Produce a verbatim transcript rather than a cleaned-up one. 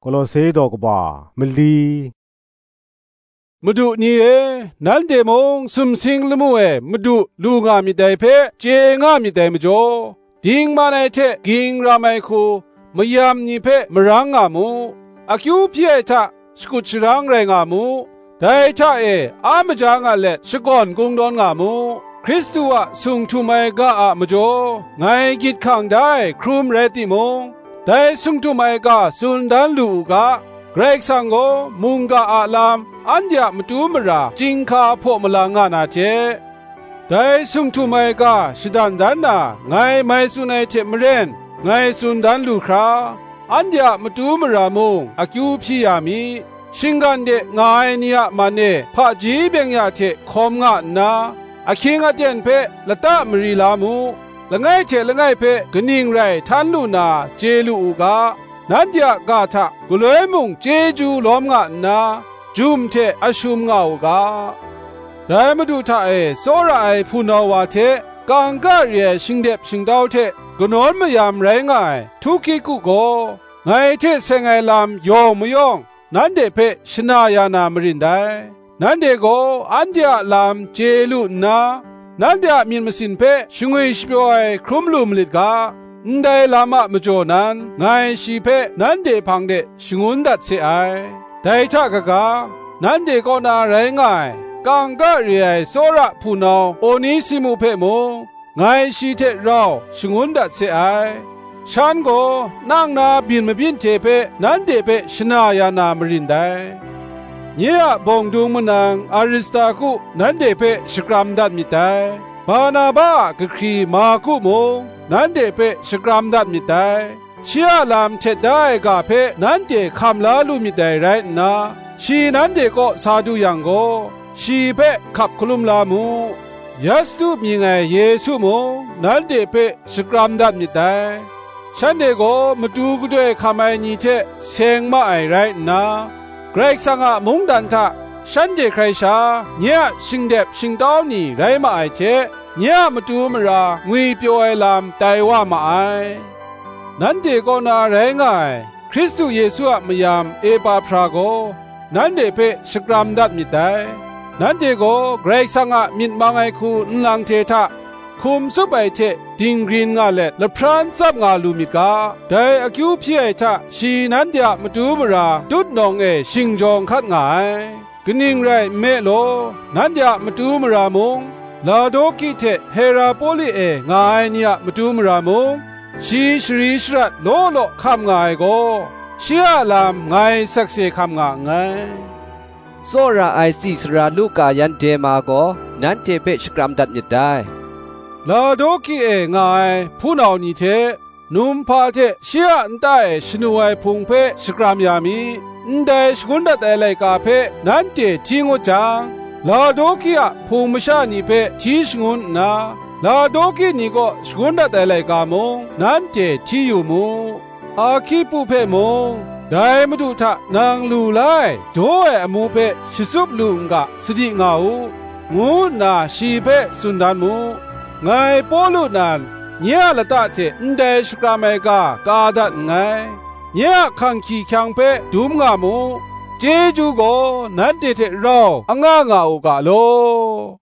Kolose daw kaba mali. Madu ni e, nanhte mung sumsing lamu e Madu lu nga myit dai hpe chye nga myit dai majaw, dingman ai hte ging ram ai hku mayam ni hpe marang nga mu, akyu hpyi ai hta shakut sharang rai nga mu, dai hta e a maja nga let shakawn kungdawn nga mu. Hkristu a sung htum ai ga a majaw ngai gyit hkang da ai hkrum rai timung, dai sung htum ai ga tsun dan lu u ga, Karai Kasang gaw mungga a lam anhte a matu mara chyinghka hpaw malang nga na hte, dai sung htum ai ga shadan dan na ngai mai tsun ai hte maren, ngai tsun dan lu hkra, anhte a matu mara mung akyu hpyi ya mi, shinggan de nga ai ni a man e hpaji byeng ya hte hkawm nga nna, ahkying aten hpe lata mari la mu, langai hte langai hpe kaning rai htan lu na chye lu u ga, nanhte a ga hta galoi mung chyeju lawm nga nna, jum hte ashum nga u ga. Dai Madu hta e tsawra ai hpunau wa hte kangka re ai shingdep shingtau hte kanawn mayam rai nga ai Htukiku gaw, ngai hte seng ai lam yawng mayawng nanhte hpe shana ya na marin dai. Nanhte gaw anhte a lam chye lu nna, nanhte a myit masin hpe shangwi shapyaw ai hkrum lu malit ga, ndai lam a majaw nan ngai shi hpe nanhte hpang de shangun dat se ai. Dai hta kaga, nanhte kaw na rai nga ai, kangka re ai tsawra hpunau Onesimu hpe mung, ngai shi hte rau shangun dat se ai. Shan gaw nang na byin mabyin hte hpe nanhte hpe shana ya na marin dai. Nye a bawng dung manang Aristaku nanhte hpe shakram dat myit dai. Barnaba a kahkri Marku mung nanhte hpe shakram dat myit dai. Shi a lam htet da ai ga hpe nanhte hkam la lu myit dai rai nna, shi nanhte kaw sa du yang gaw, shi hpe hkap hkalum la mu. Yastu mying ai Yesu mung nanhte hpe shakram dat myit dai. Shanhte gaw matu gadoi hkam ai ni hte seng ma ai rai nna, Karai Kasang a mungdan hta shanhte hkrai sha nye a shingdep shingtau ni rai ma ai hte, nye a matu mara ngwipyaw ai lam tai wa ma ai. Nanhte kaw na rai nga ai Hkristu Yesu a mayam Epahpra gaw nanhte hpe shakram dat myit dai. Nanhte gaw Karai Kasang a myit mang ai hku nlang hte hta hkum tsup ai hte dinggrin nga let lahpran tsap nga lu myit ga, dai akyu hpyi ai hta shi nanhte a matu mara tutnawng e shingjawng hkat nga ai. Kaning rai nme law, nanhte a matu mara mung, Laodiki hte Herapoli e nga ai ni a matu mara mung, shi shari sharat law law hkam nga ai gaw, shi a lam ngai sakse hkam nga nngai. Tsawra ai tsi sara Luka yan Dema gaw nanhte hpe shakram dat myit dai. Laodiki e nga ai hpunau ni hte, numhpa hte shi a nta e shanu ai hpung hpe shakram ya mi, ndai shangun dat ai laika hpe nanhte hti ngut jang, Laodiki a hpung masha ni hpe hti shangun nna, Laodiki ni kaw shangun dat ai laika mung nanhte hti yu mu. Ahkipu hpe mung, dai Madu hta nang lu la ai daw ai amu hpe shatsup lu n ga, sadi nga u, ngu nna shi hpe tsun dan mu. Ngai Pawlu nan, nye a lata hte ndai shakram ai ga ka dat nngai. Nye a hkang hkying hkyang hpe dum nga mu. Chyeju gaw nanhte hte rau anga nga u ga law.